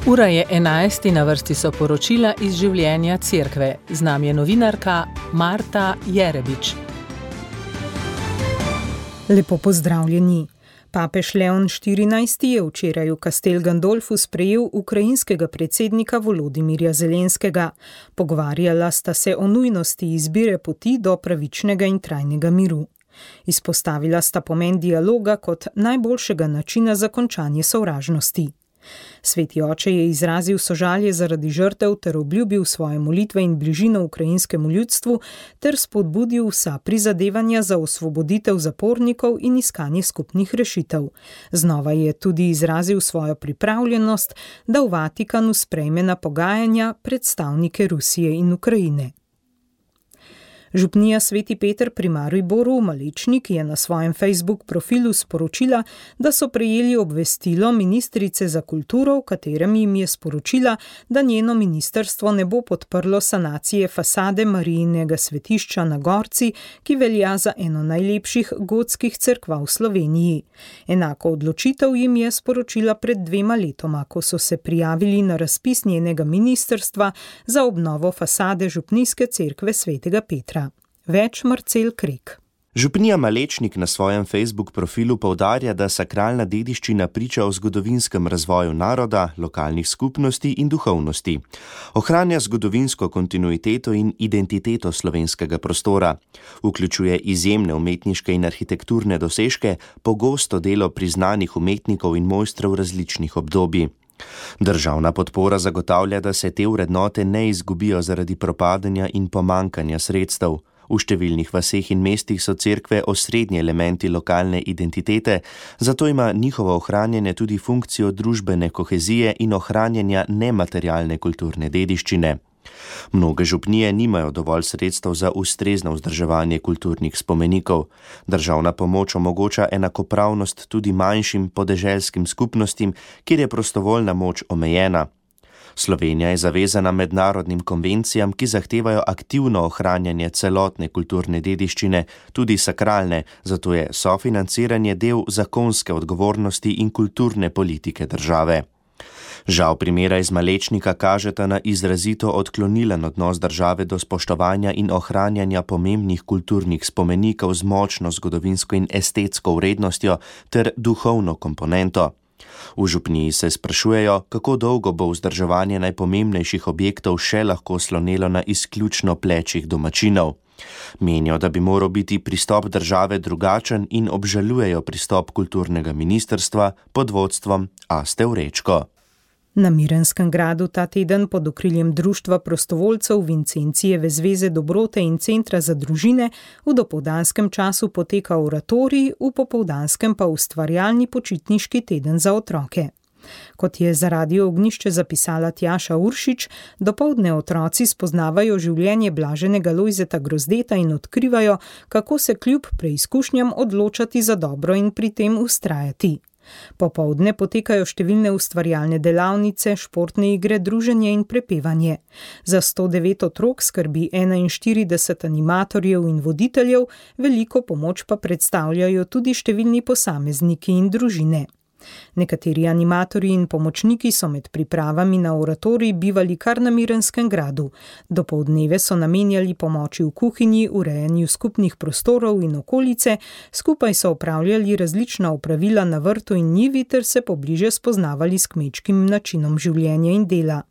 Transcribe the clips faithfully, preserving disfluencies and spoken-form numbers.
Ura je enajst in na vrsti so poročila iz življenja cerkve. Z nami je novinarka Marta Jerebič. Lepo pozdravljeni. Papež Leon štirinajsti je včeraj v Castel Gandolfu sprejel ukrajinskega predsednika Volodimirja Zelenskega. Pogovarjala sta se o nujnosti izbire poti do pravičnega in trajnega miru. Izpostavila sta pomen dialoga kot najboljšega načina za končanje sovražnosti. Sveti oče je izrazil sožalje zaradi žrtev ter obljubil svoje molitve in bližino ukrajinskemu ljudstvu ter spodbudil vsa prizadevanja za osvoboditev zapornikov in iskanje skupnih rešitev. Znova je tudi izrazil svojo pripravljenost, da v Vatikanu sprejme na pogajanja predstavnike Rusije in Ukrajine. Župnija Sveti Peter pri Mariboru Malečnik je na svojem Facebook profilu sporočila, da so prejeli obvestilo ministrice za kulturo, v katerem jim je sporočila, da njeno ministrstvo ne bo podprlo sanacije fasade Marijinega svetišča na Gorci, ki velja za eno najlepših gotskih cerkva v Sloveniji. Enako odločitev jim je sporočila pred dvema letoma, ko so se prijavili na razpis njenega ministrstva za obnovo fasade župnijske cerkve Svetega Petra. Več Marcel Krek. Župnija Malečnik na svojem Facebook profilu poudarja, da sakralna dediščina priča o zgodovinskem razvoju naroda, lokalnih skupnosti in duhovnosti. Ohranja zgodovinsko kontinuiteto in identiteto slovenskega prostora. Vključuje izjemne umetniške in arhitekturne dosežke, pogosto delo priznanih umetnikov in mojstrov različnih obdobij. Državna podpora zagotavlja, da se te vrednote ne izgubijo zaradi propadanja in pomankanja sredstev. V številnih vaseh in mestih so cerkve osrednji elementi lokalne identitete, zato ima njihovo ohranjanje tudi funkcijo družbene kohezije in ohranjanja nematerialne kulturne dediščine. Mnoge župnije nimajo dovolj sredstev za ustrezno vzdrževanje kulturnih spomenikov. Državna pomoč omogoča enakopravnost tudi manjšim podeželskim skupnostim, kjer je prostovoljna moč omejena. Slovenija je zavezana mednarodnim konvencijam, ki zahtevajo aktivno ohranjanje celotne kulturne dediščine, tudi sakralne, zato je sofinanciranje del zakonske odgovornosti in kulturne politike države. Žal primera iz Malečnika kažeta na izrazito odklonilen odnos države do spoštovanja in ohranjanja pomembnih kulturnih spomenikov z močno zgodovinsko in estetsko vrednostjo ter duhovno komponento. V župniji se sprašujejo, kako dolgo bo vzdrževanje najpomembnejših objektov še lahko slonelo na izključno plečih domačinov. Menijo, da bi moral biti pristop države drugačen in obžalujejo pristop kulturnega ministrstva pod vodstvom Aste Vrečko. Na Mirenskem gradu ta teden pod okriljem Društva prostovoljcev Vincencijeve zveze dobrote in centra za družine v dopoldanskem času poteka oratorij, v popoldanskem pa ustvarjalni počitniški teden za otroke. Kot je za Radio Ognjišče zapisala Tjaša Uršič, dopoldne otroci spoznavajo življenje blaženega Lojzeta Grozdeta in odkrivajo, kako se kljub preizkušnjam odločati za dobro in pri tem vztrajati. Popoldne potekajo številne ustvarjalne delavnice, športne igre, druženje in prepevanje. Za sto devet otrok skrbi enainštirideset animatorjev in voditeljev, veliko pomoč pa predstavljajo tudi številni posamezniki in družine. Nekateri animatorji in pomočniki so med pripravami na oratorij bivali kar na Mirenskem gradu. Dopoldneve so namenjali pomoči v kuhinji, urejanju skupnih prostorov in okolice, skupaj so opravljali različna opravila na vrtu in njivi ter se pobliže spoznavali s kmečkim načinom življenja in dela.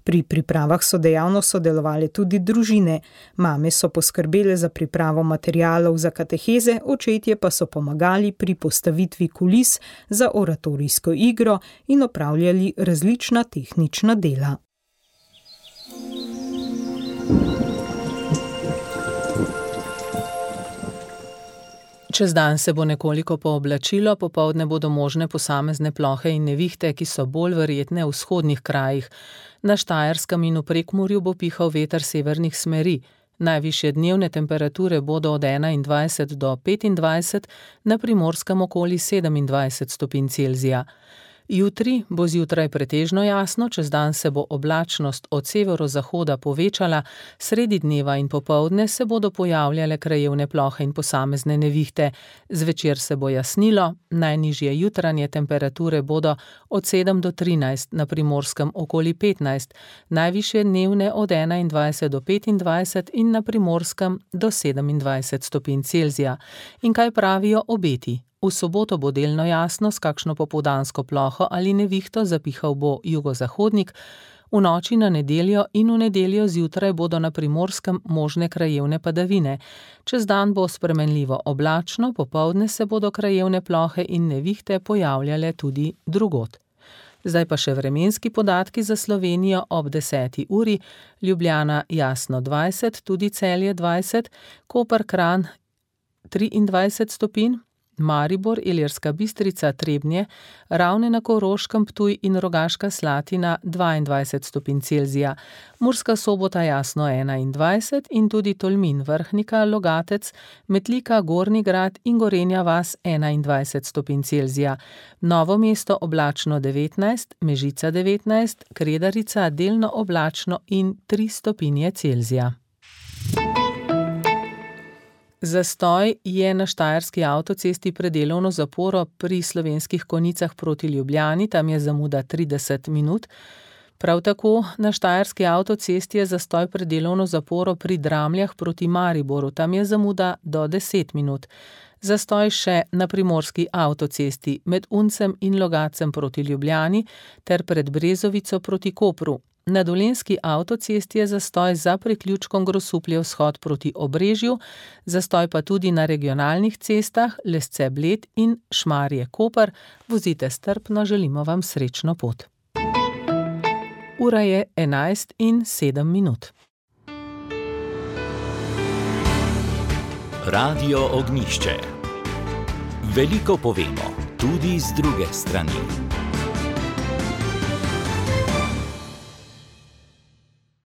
Pri pripravah so dejavno sodelovali tudi družine. Mame so poskrbele za pripravo materialov za kateheze, očetje pa so pomagali pri postavitvi kulis za oratorijsko igro in opravljali različna tehnična dela. Čez dan se bo nekoliko pooblačilo, popoldne bodo možne posamezne plohe in nevihte, ki so bolj verjetne v vzhodnih krajih. Na Štajerskem in v Prekmurju bo pihal veter severnih smeri. Najvišje dnevne temperature bodo od enaindvajset do petindvajset, na Primorskem okoli sedemindvajset stopinj Celzija. Jutri bo zjutraj pretežno jasno, čez dan se bo oblačnost od severozahoda povečala, sredi dneva in popoldne se bodo pojavljale krajevne plohe in posamezne nevihte. Zvečer se bo jasnilo, najnižje jutranje temperature bodo od sedem do trinajst, na Primorskem okoli petnajst, najvišje dnevne od enaindvajset do petindvajset in na Primorskem do sedemindvajset stopinj Celzija. In kaj pravijo obeti? V soboto bo delno jasno, s kakšno popoldansko ploho ali nevihto, zapihal bo jugozahodnik, v noči na nedeljo in v nedeljo zjutraj bodo na Primorskem možne krajevne padavine. Čez dan bo spremenljivo oblačno, popoldne se bodo krajevne plohe in nevihte pojavljale tudi drugod. Zdaj pa še vremenski podatki za Slovenijo ob deseti uri, Ljubljana jasno dvajset, tudi Celje dvajset, Koper, Kranj triindvajset stopinj, Maribor, Ilirska Bistrica, Trebnje, Ravne na Koroškem, Ptuj in Rogaška Slatina dvaindvajset stopinj Celzija, Murska Sobota jasno enaindvajset in tudi Tolmin, Vrhnika, Logatec, Metlika, Gornji Grad in Gorenja vas enaindvajset stopinj Celzija, Novo mesto oblačno devetnajst, Mežica devetnajst, Kredarica delno oblačno in tri stopinje Celzija. Zastoj je na štajerski avtocesti pred delovno zaporo pri Slovenskih Konjicah proti Ljubljani, tam je zamuda trideset minut. Prav tako na štajerski avtocesti je zastoj pred delovno zaporo pri Dramljah proti Mariboru, tam je zamuda do deset minut. Zastoj še na primorski avtocesti med Uncem in Logatcem proti Ljubljani ter pred Brezovico proti Kopru. Na dolenjski avtocesti je zastoj za priključkom Grosuplje vzhod proti Obrežju, zastoj pa tudi na regionalnih cestah Lesce Bled in Šmarje Koper. Vozite strpno, želimo vam srečno pot. Ura je enajst in sedem minut. Radio Ognjišče. Veliko povemo, tudi z druge strani.